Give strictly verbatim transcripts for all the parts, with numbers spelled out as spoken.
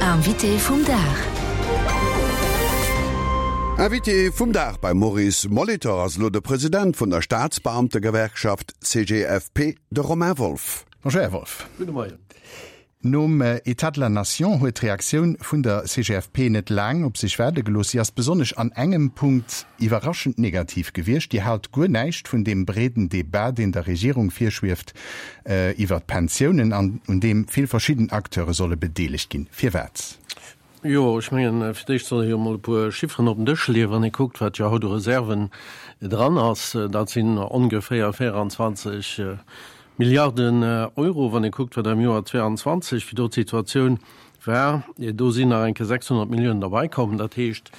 Invité vum Dag. Invité vum Dag beim Maurice Molitor ass elo de President vun der Staatsbeamtegewerkschaft C G F P, de Romain Wolff. Bonjour, Här Wolff. Gudde Moien. Nom État de la Nation huet d'Reaktioun vun der C G F P net laang op sech waarde gelooss. Si ass besonnesch an engem Punkt iwwerraschend negativ gewiescht. Dir haalt guer näischt vun deem breeden Debat, deen der Regierung virschwieft iwwer d'Pensiounen an un deem vill verschidden Acteure solle bedeelegt ginn. Firwat? Jo, ech mengen, fir d'éischt soll ee jo mol e puer Chifferen op den Dësch leeën, wann ee kuckt, wat jo haut u Reserven dran ass. Dat sinn ongeféier véierenzwanzeg Milliarden Euro. Wann ee kuckt, wat am Joer zwéianzwanzeg, wéi do d'Situatioun war, do sinn nach eng Kéier sechshonnert Milliounen derbäikomm. Dat heescht,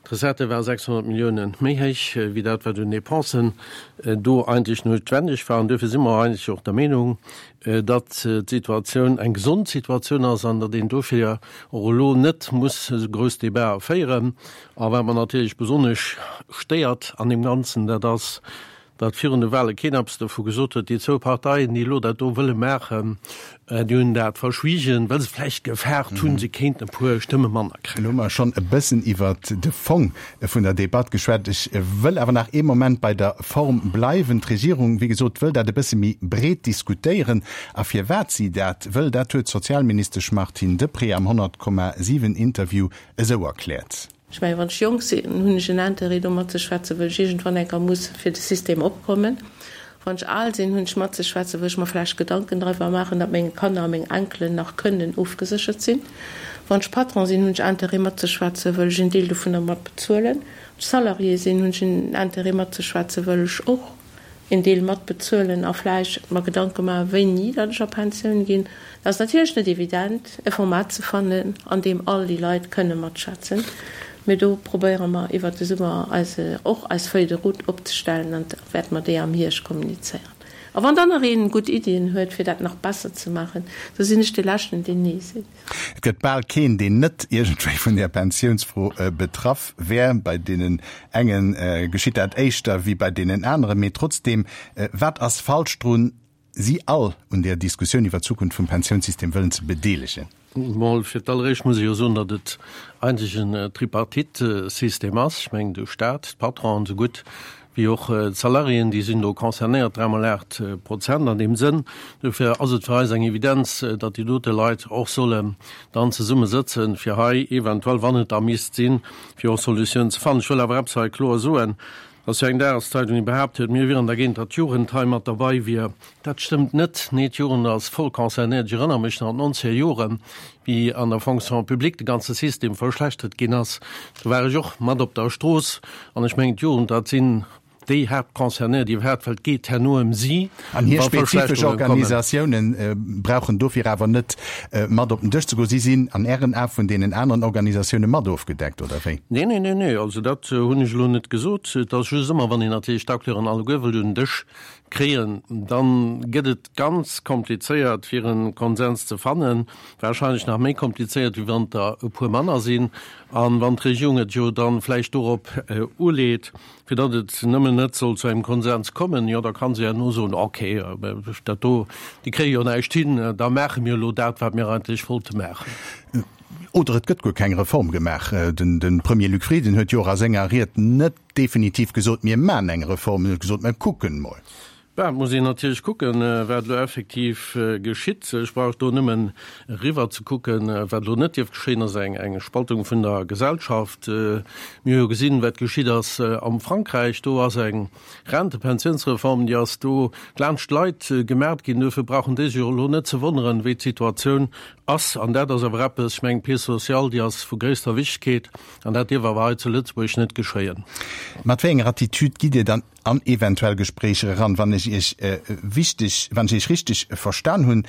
d'Recettë ware sechshonnert Milliounen méi héich wéi dat, wat un Dépensen do eigentlech noutwendeg war. An duerfir si mer eigentlech och der Meenung, datt d'Situatioun eng gesond Situatioun ass an datt een dofir och elo net muss esou grouss Debatë féieren. A wat mer natierlech besonnesch stéiert an deem Ganzen, dat ass, datt virun de Wahle keen eppes dovu gesot huet. Déi zwou Parteien, déi elo dat do wëlle maachen, déi hunn dat verschwiegen, well se vläicht gefaart hunn, se kéinten e puer Stëmme manner kréien. Elo hu mer schonn e bëssen iwwert de Fong vun der Debatt geschwat. Ech wëll awer nach ee Moment bei der Form bleiwen. D'Regierung, wéi gesot, wëll dat e bësse méi breet diskutéieren. A firwat si dat wëll, dat huet d'Sozialministesch Martine Deprez am honnert Komma siwen Interview esou erkläert. Ech mengen, wann ech jonk sinn, hunn ech en Interêt do matzeschwätzen, well ech iergendwann eng Kéier muss fir de System opkommen. Wann ech al sinn, hunn ech matzeschwätzen, well ech mer vläicht Gedanken driwwer maachen, datt meng Kanner a meng Enkelen nach kënnen ofgeséchert sinn. Wann ech Patron sinn, hunn ech Interêt matzeschwätzen, well ech en Deel dovunner mat bezuelen. Wann ech Salarié sinn, hunn ech en Interêt matzeschwätzen, well ech och en Deel mat bezuelen a vläicht mer Gedanke maachen, wéini datt ech a Pensioun ginn. Et ass natierlech net evident, e Format ze fannen, an deem all déi Leit kënne matschwätzen, mee do probéiere mer iwwert de Summer eis och eis Feuille de route opzestellen an da wäerte mer déi am Hierscht kommunizéieren. A wann dann nach een gutt Iddien huet, fir dat nach besser ze maachen, da sinn ech dee Leschten, deen Nee seet. Et gëtt bal keen, deen net iergendwéi vun där Pensiounsfro betraff wär. Bei deenen enge geschitt dat éischter wéi bei deenen aneren. Mee trotzdeem, wat ass falsch drun, si all un där Diskussioun iwwer d'Zukunft vum Pensiounssystem wëllen ze bedeelegen? Mol fir d'alleréischt muss ech jo soen, datt et eigentlech en Tripartite-System ass. Ech mengen, de Staat, d'Patronen esou gutt wéi och d'Salariéen, déi sinn do concernéiert, dräi mol aacht Prozent an deem Sënn. Dofir ass et fir eis eng Evidenz, datt déi dote Leit och sollen dann zesumme sëtzen, fir hei eventuell, wann et da misst sinn, fir och Solutiounen ze fannen. Ech wëll awer eppes hei kloer soen, dass jo eng Dageszeitung, déi behaapt huet, mir wieren dergéint, datt d'Jugend hei mat derbei wier. Dat stëmmt net. Nee, d'Jugend ass voll concernéiert. Ech erënnere mech nach an d'nonzeger Joren, wéi an der Fonction publique de ganze System verschlechtert ginn ass. Do war ech och mat op der Strooss. An ech mengen, d'Jugend, dat sinn déi Haaptconcernéiert iwwerhaapt, well et geet herno ëm si, An hir wa spezifesch Verschlechterunge kommen. Organisatioune brauchen dofir awer net mat op den Dësch ze goen. Si sinn an Ären Ae vun deenen aneren Organisatioune mat ofgedeckt, oder wéi? Nee, nee, nee, nee. Also dat hunn ech elo net gesot. Et ass just ëmmer, wann een natierlech d'Acteuren alleguer wëllt un den Dësch kréien, dann gëtt et ganz komplizéiert, fir e Konsens ze fannen. Wahrscheinlech nach méi komplizéiert, wéi wann der e puer manner sinn. An wann d'Regierung et jo dann vläicht dorop uleet, fir datt et nëmmen net soll zu engem Konsens kommen, jo da kann se ja no soen, okay, dat do, déi kréie jo näischt hin, da maache mir elo dat, wat mir eigentlech wollte maachen. Oder et gëtt guer keng Reform gemaach. Den, den Premier Luc Frieden huet jo och a senger Ried net definitiv gesot, mir maachen eng Reform, en huet gesot, mir kucken mol. Bah, et muss een natierlech kucken, wat elo effektiv geschitt. Ech brauch do nëmmen eriwwer ze kucken. Wat elo net dierf geschéien, ass eng, eng Spaltung vun der Gesellschaft. Mir hu jo gesinn, wat geschitt ass am Frankräich. Do ass eng Rentepensiounsreform, déi ass do laanscht d'Leit gemaacht ginn. Duerfir brauchen déi sech och elo net ze wonneren, wéi d'Situatioun ass. An dat ass awer eppes, ech mengen, d'Pièce sociale, déi ass vu gréisster Wichtegkeet. An dat dierf awer hei zu Lëtzebuerg net geschéien. Mat wéi enger Attitüd gitt Dir dann an eventuell Gespréicher eran? Wann ech Iech wichteg, wann ech Iech richteg verstan hunn,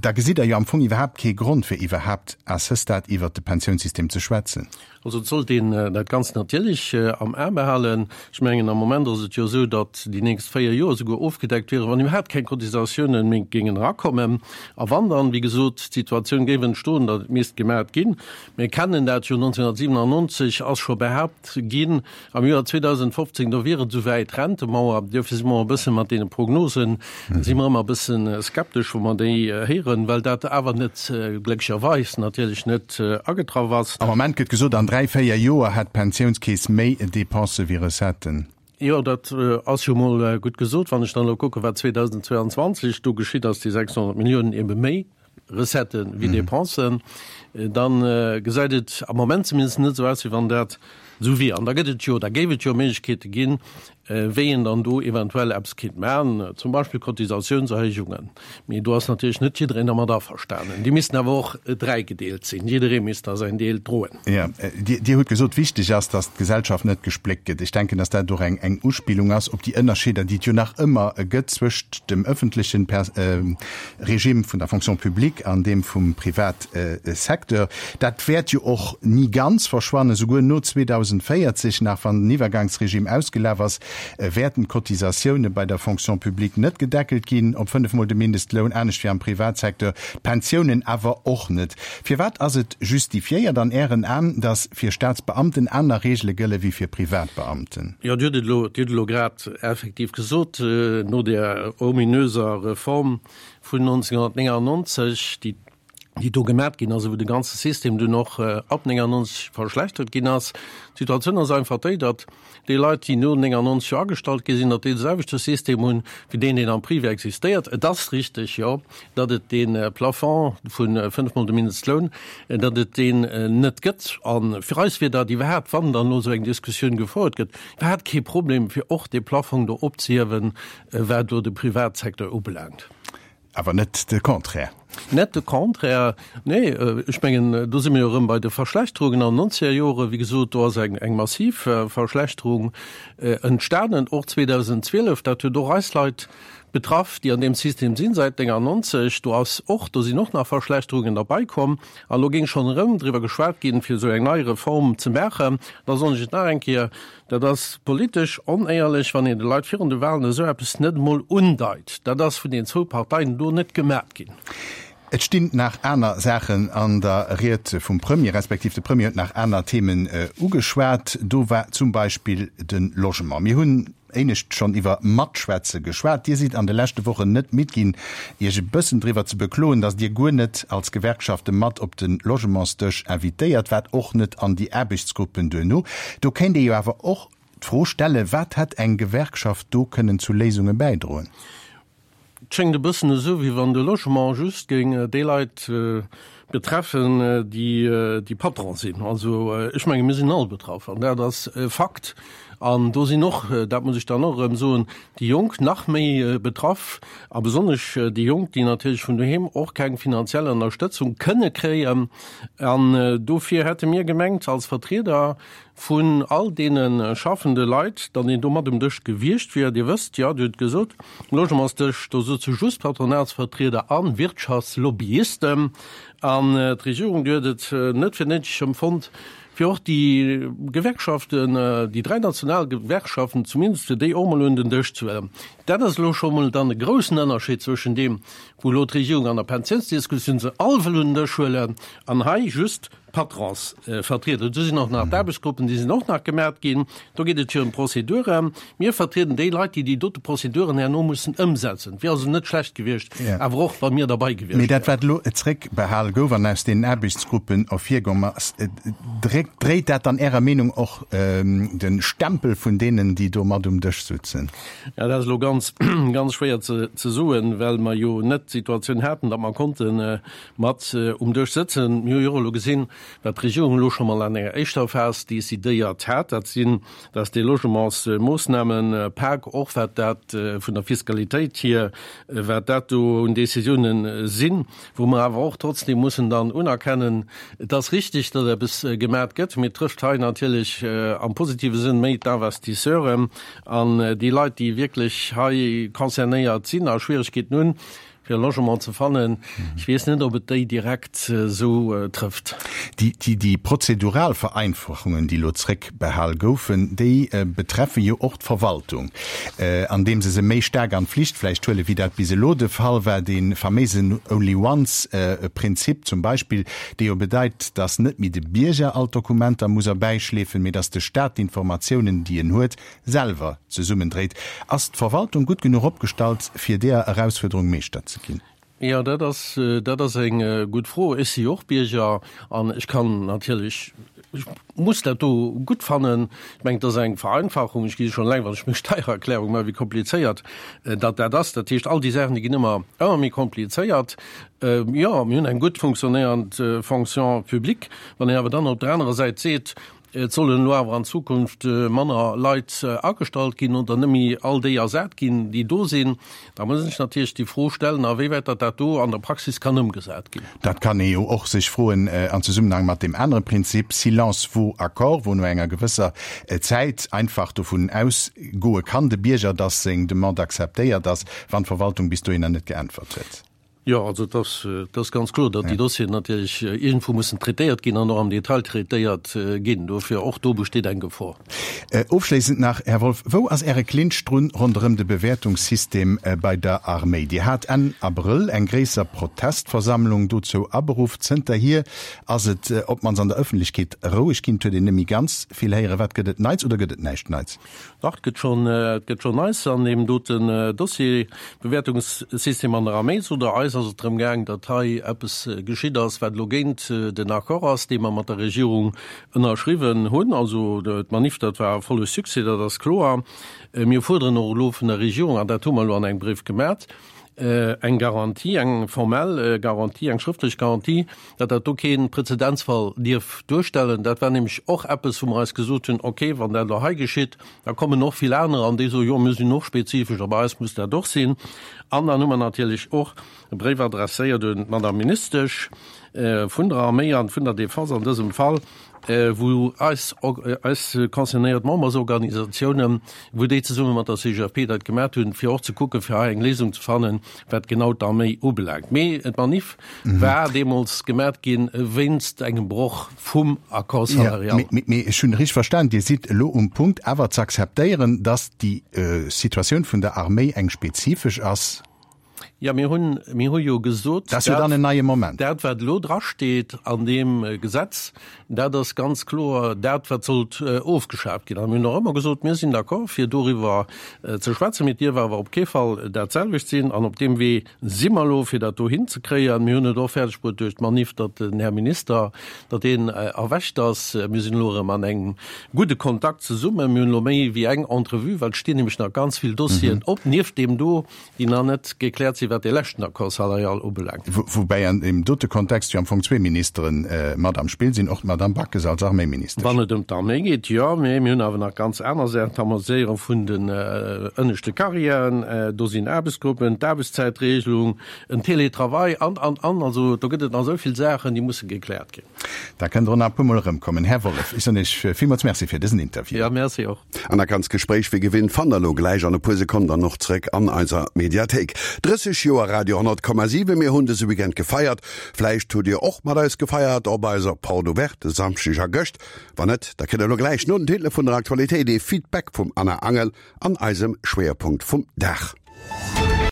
da gesitt Der jo am Fong iwwerhaapt kee Grond, fir iwwerhaapt à ce stade iwwert de Pensiounssystem ze schwätzen. Also et sollt een dat Ganzt natierlech am A behalen. Ech mengen, am Moment ass et jo esou, datt déi nächst véier Joer esouguer ofgedeckt wieren, wann iwwerhaapt keng Cotisatiounen méi géingen erakommen. A wann dann, wéi gesot, d'Situatioun géif entstoen, datt et misst gemaacht ginn, mir kennen dat jo, nonzénhunnertsiwenannonzeg ass scho behaapt ginn, am Joer zweedausendfofzéng, do wier et esouwäit, Rentemauer. Duerfir si mer e bësse mat deene Prognosen, si mer ëmmer e bësse skeptesch, wou mer déi héieren, well dat awer net, glécklecherweis natierlech net agetraff ass. Am Moment gëtt gesot, an dräi, véier Joer hätt d'Pensiounskeess méi Depensë wéi Recetten. Jo, dat ass jo mol gutt gesot. Wann ech dann elo kucken, wat zweedausendzweianzwanzeg do geschitt ass, déi sechshonnert Milliounen ebe méi Recetten wéi Dépensen, da gesäit et am Moment zumindest net esou aus, wéi wann dat esou wier. An da gëtt et jo, da géif et jo Méiglechkeete ginn, wéi een dann do eventuell eppes kéint maachen, zum Beispill Cotisatiounserhéijungen. Mee do ass natierlech net jiddereen dermat averstanen. Déi missten awer och dräigedeelt sinn, jidderee misst da säin Deel droen. Jo, Dir hutt gesot, wichteg ass, datt d'Gesellschaft net gespléckt gëtt. Ech denken, datt dat och eng eng Uspillung ass op déi Ënnerscheeder, déi et jo nach ëmmer gëtt zwëscht dem ëffentlechen Regime vun der Fonction publique an deem vum Privatsecteur. Dat wäert jo och ni ganz verschwannen, souguer no zweedausendvéierzeg nach, wann den Iwwergangsregime ausgelaf ass, wäerten d'Cotisatioune bei der Fonction publique net gedeckelt ginn op fënnef Mol de Mindestloun, anescht wéi am Privatsecteur, d'Pensiounen awer och net. Firwat ass et justifiéiert an Ären Aen, datt fir Staatsbeamten aner Reegele gëlle wéi fir Privatbeamten? Jo, Dir hutt et elo, Dir hutt elo grad effektiv gesot, no där ominöser Reform vun nonzénghunnertnéngannonzeg, déi déi do gemat ginn ass, wou de ganze System dunn och ab néngannonzeg verschlechtert ginn ass. D'Situatioun ass einfach déi, datt déi Leit, déi no néngannonzeg jo agestallt gi sinn, datt déi de selwechte System hunn, wéi deen, deen am Privé existéiert. Et ass richteg, jo, datt et dee Plafond vu fënnf Mol de Mindestloun, datt et deen net gëtt. A fir eis wier dat iwwerhaapt, wann dann elo esou eng Diskussioun gefouert gëtt, iwwerhaapt kee Problem, fir och dee Plafong do opzehiewen, wat do de Privatsecteur ubelaangt. Awer net de Contraire. Net de Contraire, nee. Ech mengen, do si mir jo erëm bei de Verschlechterungen an den nonzeger Joren. Wéi gesot, do ass eng, eng massiv Verschlechterung entstanen, och zweedausendzwielef. Dat huet och eis Leit betraff, déi an deem System sinn säit néngannonzeg. Do ass och, do sinn och nach Verschlechterungen derbäikomm. An elo géing schonn erëm driwwer geschwat ginn, fir esou eng nei Reform ze maachen. Da soen ech et nach eng Kéier, Dat ass politesch onéierlech, wann een de Leit virun de Wahlen esou eppes net emol undeit. Dat ass vun den zwou Parteien do net gemat ginn. Et stinn nach aner Saachen an der Ried vum Premier, respektiv de Premier huet nach aner Themen ugeschwat. Do war zum Beispill de Logement. Mir hunn éinescht schonn iwwer Matschwätze geschwat. Dir sidd an de leschte Wochen net midd ginn, Iech e bëssen driwwer ze bekloen, datt Dir guer net als Gewerkschafte mat op de Logementsdësch invitéiert waart, och net an déi Aarbechtsgruppen duerno. Do kéint ee jo awer och d'Fro stellen, Wat hätt eng Gewerkschaft do kënnen zu Léisunge bäidroen? Et schéngt e bëssen esou, wéi wann de Logement just géing déi Leit betreffen, déi déi Patron sinn. Also ech menge mir sinn all betraff an dat ass e Fakt. An do sinn och, dat muss ech dann och erëm soen, déi Jonk nach méi betraff a besonnesch déi Jonk, déi natierlech vun doheem och keng finanziell Ënnerstëtzung kënne kréien. An dofir hätte mir gemengt als Vertrieder vun all deene schaffende Leit, datt een do mat um Dësch gewiescht wier. Dir wësst jo, Dir hutt gesot, um Logementsdësch, do sëtze just Patronatsvertrieder a Wirtschaftslobbyisten. An d'Regierung, déi huet et net fir néideg empfonnt, fir och déi Gewerkschaften, déi dräi national Gewerkschaften zumindest, fir déi och mol un den Dësch ze huelen. Dat ass elo scho mol dann e groussen Ënnerscheed zwëschen deem, wou elo d'Regierung an der Pensiounsdiskussioun se all wëll un den Dësch huelen, an hei just d'Patronsvertrieder. Do sinn och nach d'Aarbechtsgruppen, déi sinn och nach gemat ginn. Do geet et jo ëm Prozeduren. Mir vertrieden déi Leit, déi déi dote Prozeduren herno mussen ëmsetzen. Et wier also net schlecht gewiescht, awer och wa mir derbei gewiescht Mee dat, wat elo zréckbehale gouf an aus deenen Aarbechtsgruppen ervirgomm ass, dréckt, dréit dat dann Ärer Meenung och de Stempel vun deenen, déi do mat um Dësch sutzen? Ja, dat ass elo ganz, ganz schwéier ze, ze soen, well mer jo net d'Situatioun haten, datt mer konnte mat um Dësch sëtzen. Mir hu jo och elo gesinn, wat d'Regierung elo scho mol an enger éischter Phas decidéiert hat, dat sinn, dass dee Logementsmoossnamenpak, och wat dat vun der Fiskalitéit hier, wat dat do un Décisiounen sinn, wou mer awer och trotzdem mussen dann unerkennen, et ass richtig, datt eppes gemat gëtt, mee et trëfft hei natierlech am positive Sënn méi d'Investisseuren an déi Leit, déi wierklech hei concernéiert sinn a Schwierigkeeten hunn. fir e Logement ze fannen. Ech weess net, ob et déi direkt esou trëfft. Déi, déi, déi prozedural Vereinfachungen, déi elo zréckbehal goufen, déi betreffe jo och d'Verwaltung, andeem se se méi staark an d'Flicht vläicht huelen, wéi dat bis elo de Fall war, dee faméisen Only once Prinzip zum Beispill, dee jo bedeit, dass net méi de Bierger all d'Dokumenter muss erbäischleefen, mee dass de Staat d'Informatiounen, déi en huet, selwer zesummendréit. Ass d'Verwaltung gutt genuch opgestallt, fir deeër Erausfuerderung Meeschter ze ginn? Jo, dat ass, dat ass eng gutt Fro. Ech si jo och Bierger an ech kann natierlech, ech muss dat do gutt fannen. Ech mengen, et ass eng Vereinfachung. Ech gesi schonn eleng, wann ech meng Steiererklärung maachen, wéi komplizéiert datt dat ass. Dat heescht, all déi Saachen, déi ginn ëmmer, ëmmer méi komplizéiert. Jo, mir hunn eng gutt funktionéierend Fonction publique. Wann een awer dann op der anerer Säit seet, Et sollen elo awer an Zukunft manner Leit agestallt ginn oder net méi all déi ersat ginn, déi do sinn. Da muss een sech natierlech déi Fro stellen, awéiwäit datt dat do an der Praxis kann ëmgesat ginn. Dat kann ee jo och sech froen an Zesummenhang mat deem anere Prinzip silence vaut accord, wou no enger gewësser Zäit einfach dovun ausgoe kann de Bierger, datt seng Demande akzeptéiert ass, wann d'Verwaltung bis dohinner net geäntwert huet. Jo, also et ass, et ass ganz kloer, datt déi Dossieren natierlech iergendwou mussen traitéiert ginn an och am Detail traitéiert ginn. Dofir, och do besteet eng Gefor. Ofschléissend nach, Här Wolff, Wou ass Äre Clinch drun ronderëm de Bewäertungssystem bei der Arméi? Dir hat Enn Abrëll eng gréisser Protestversammlung dozou aberuff. Zënterhier ass et op d'mannst an der Ëffentlechkeet roueg ginn. Et huet een net méi ganz vill héieren. Wat gëtt et Neits oder gëtt et näischt Neits? Dach, et gëtt schonn, et gëtt schonn Neits an deem doten Dossier, Bewäertungssystem an der Arméi. Zu der eis ass et drëm gaang, datt hei eppes geschitt ass, wat elo géint den Accord ass, dee mer mat der Regierung ënnerschriwwen hunn. Also d'Manif, dat war e volle Succès, dat ass kloer. Mir fuerderen och elo vun der Regierung, an dat hu mer elo an engem Bréif gemat, eng Garantie, eng formell Garantie, eng schrëftlech Garantie, datt dat do kee Präzedenzfall dierf duerstellen. Dat war nämlech och eppes, wou mer eis gesot hunn, okay, wann dat elo hei geschitt, da kommen och vill anerer an déi soen, jo, mir sinn och spezifesch a bei eis muss dat och sinn. An dann hu mer natierlech och e Bréif adresséiert un d'Madame Ministesch vun der Arméi an vun der Défense an dësem Fall, wou eis, eis concernéiert Membersorganisatiounen, wou déi zesumme mat der C G F P dat gemat hunn, fir och ze kucken, fir hei eng Léisung ze fannen, wat genau d'Arméi ubelaangt. Mee d'Manif war deemools gemat ginn wéinst engem Broch vum Accord salarial. Mee, mee ech hunn richteg verstan, Dir sidd elo um Punkt awer ze akzeptéieren, datt déi Situatioun vun der Arméi eng spezifesch ass? Jo, mir hunn, mir hu jo gesot, Dat ass jo dann en neie Moment. Dat, wat elo drasteet an deem Gesetz, dat ass ganz kloer dat, wat sollt ofgeschaaft ginn. A mir hunn och ëmmer gesot, mir sinn d'accord, fir doriwwer ze schwätzen, mee et dierf awer op kee Fall dat selwecht sinn. An op deem Wee si mer elo, fir dat do hinzekréien. Mir hunn et och fäerdeg bruet duerch d'Manif, datt den Här Minister, datt deen erwächt ass. Mir sinn elo erëm an engem gudde Kontakt zesummen. Mir hunn elo méi wéi eng Entrevue, well et stinn nämlech nach ganz vill Dossieren op, nieft deem do, déi nach net gekläert sinn, wat dee leschten Accord salarial ubelaangt. Woubäi an deem dote Kontext jo am Fong zwee Ministere mat am Spill sinn, och d'Madame Backes als Arméiministesch. Wann et ëm d'Arméi geet, jo, mee mir hunn awer nach ganz aner Saachen, d'Harmoniséierung vun den ënneschte Carrièren, do sinn Aarbechtsgruppen, d'Aarbechtszäitregelung, en Télétravail an, an, an. Also do gëtt et nach esou vill Saachen, déi musse gekläert ginn. Da kënnt Der nach e puermol erëmkommen, Här Wolff. Ech soen Iech villmools Merci fir dësen Interview. Jo, merci och. An dat ganzt Gespréich wéi gewinnt fannt der elo gläich an e puer Sekonnen dann och zréck an eiser Mediathéik. drësseg Joer Radio honnert Komma siwen mir hunn dëse Weekend gefeiert. Vläicht hutt Dir och mat eis gefeiert op eiser Porte Ouverte e Samschdeg a gëscht. Wann net, da kritt der elo gläich no den Titele vun der Aktualitéit ee Feedback vum Anna Angel an eisem Schwéierpunkt vum Dag.